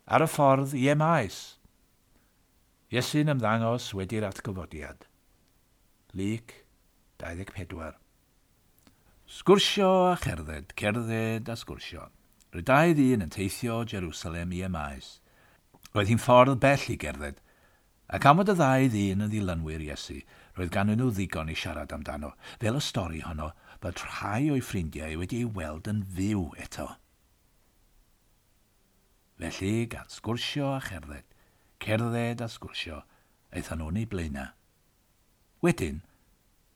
Ar y ffordd i Emaus. Iesu'n ymddangos wedi'r atgyfodiad. Luc 24. Sgwrsio a cherdded, cerdded a sgwrsio. Roedd dau ddyn yn teithio o Jerusalem i Emaus. Roedd hi'n ffordd bell i gerdded, ac am fod y ddau ddyn yn ddilynwyr Iesu, roedd ganddyn nhw ddigon i siarad amdano, fel y stori honno bod rhai o'i ffrindiau wedi ei weld yn fyw eto. Felly, gan sgwrsio a cherdded, cerdded a sgwrsio, aethon nhw'n eu blaenau. Wedyn,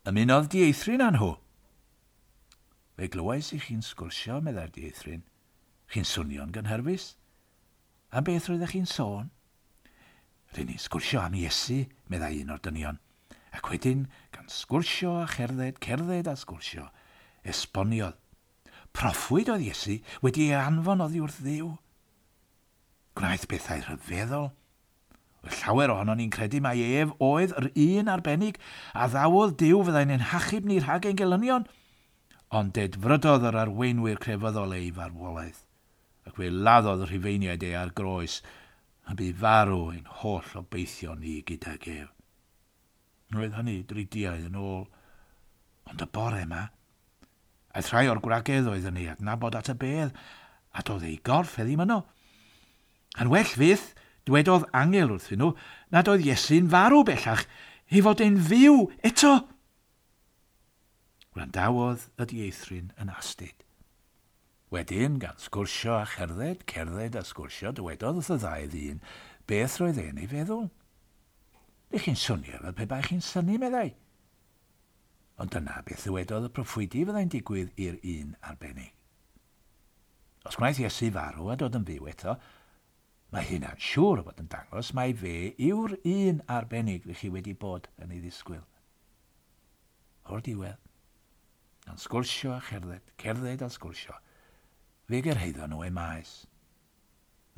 ymunodd dieithryn â nhw. Fe glywais i chi'n sgwrsio, meddai'r dieithryn. Chi'n swnio'n gynhyrfus. Am beth roeddech chi'n sôn? Rŷn ni'n sgwrsio am Iesu, meddai un o'r dynion. Ac wedyn, gan sgwrsio a cherdded, cerdded a sgwrsio, esboniodd. Proffwyd oedd Iesu wedi ei anfon oddi wrth Dduw. Gwnaeth bethau rhyfeddol. Roedd llawer ohonon ni'n credu mai ef oedd yr un arbennig a ddawodd Duw fyddai'n ein hachub ni rhag ein gelynion. Ond dedfrydodd yr arweinwyr crefyddol ei farwolaeth, ac fe laddodd y Rhufeiniaid e ar groes, a bu farw ein holl obeithion ni gydag ef. Roedd hynny dridiau yn ôl. Ond y bore yma, aeth rhai o'r gwragedd oedd yn ei adnabod at y bedd, a doedd ei gorff e ddim yno. Yn well fyth, dwedodd angel wrthyn nhw nad oedd Iesu'n farw bellach, ei fod e'n fyw eto. Gwrandawodd y dieithryn yn astud. Wedyn, gan sgwrsio a cherdded, cerdded a sgwrsio, dywedodd wrth y ddau ddyn beth roedd e'n ei feddwl. Dych chi'n swnio fel pe baech chi'n synnu, meddai. Ond dyna beth ddywedodd y proffwydi fyddai'n digwydd i'r un arbennig. Os gwnaeth Iesu farw a dod yn fyw eto, mae hynna'n siŵr o fod yn dangos mai fe yw'r un arbennig rych chi wedi bod yn ei ddisgwyl. O'r diwedd, gan sgwrsio a cherdded, cerdded a sgwrsio, fe gyrhaeddon nhw Emaus.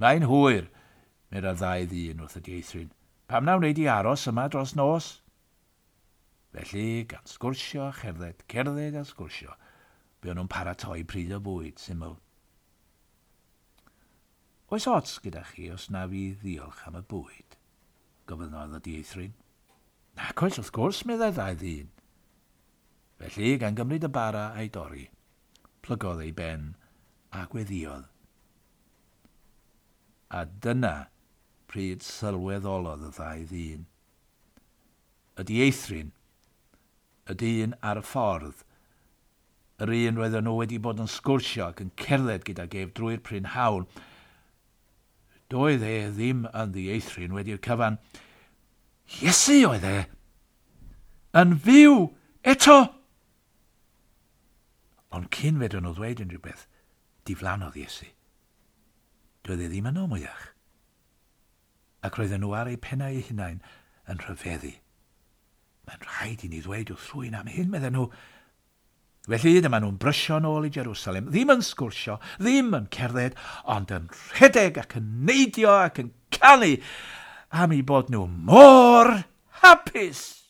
Mae'n hwyr, meddai'r ddau ddyn wrth y dieithryn. Pam na wnei di aros yma dros nos? Felly, gan sgwrsio a cherdded, cerdded a sgwrsio, buon nhw'n paratoi pryd o fwyd syml. Oes ots gyda chi os na fi ddiolch am y bwyd? gofynnodd y dieithryn. Nac oes, wrth gwrs, meddai'r ddau ddyn. Felly, gan gymryd y bara a'i dorri, plygodd ei ben a gweddïodd. A dyna pryd sylweddolodd y ddau ddyn. Y dieithryn, y dyn ar y ffordd, yr un roedden nhw wedi bod yn sgwrsio ac yn cerdded gydag ef drwy'r prynhawn, doedd e ddim yn ddieithryn wedi'r cyfan. Iesu oedd e! Yn fyw eto! Ond cyn fedrwn nhw ddweud unrhyw beth, diflannodd Iesu. Doedd e ddim yno mwyach. Ac roedden nhw ar eu pennau eu hunain yn rhyfeddu. Mae'n rhaid i ni ddweud wrth rhywun am hyn, medden nhw. Felly dyma nhw'n brysio nôl i Jerusalem, ddim yn sgwrsio, ddim yn cerdded, ond yn rhedeg ac yn neidio ac yn canu am eu bod nhw mor hapus!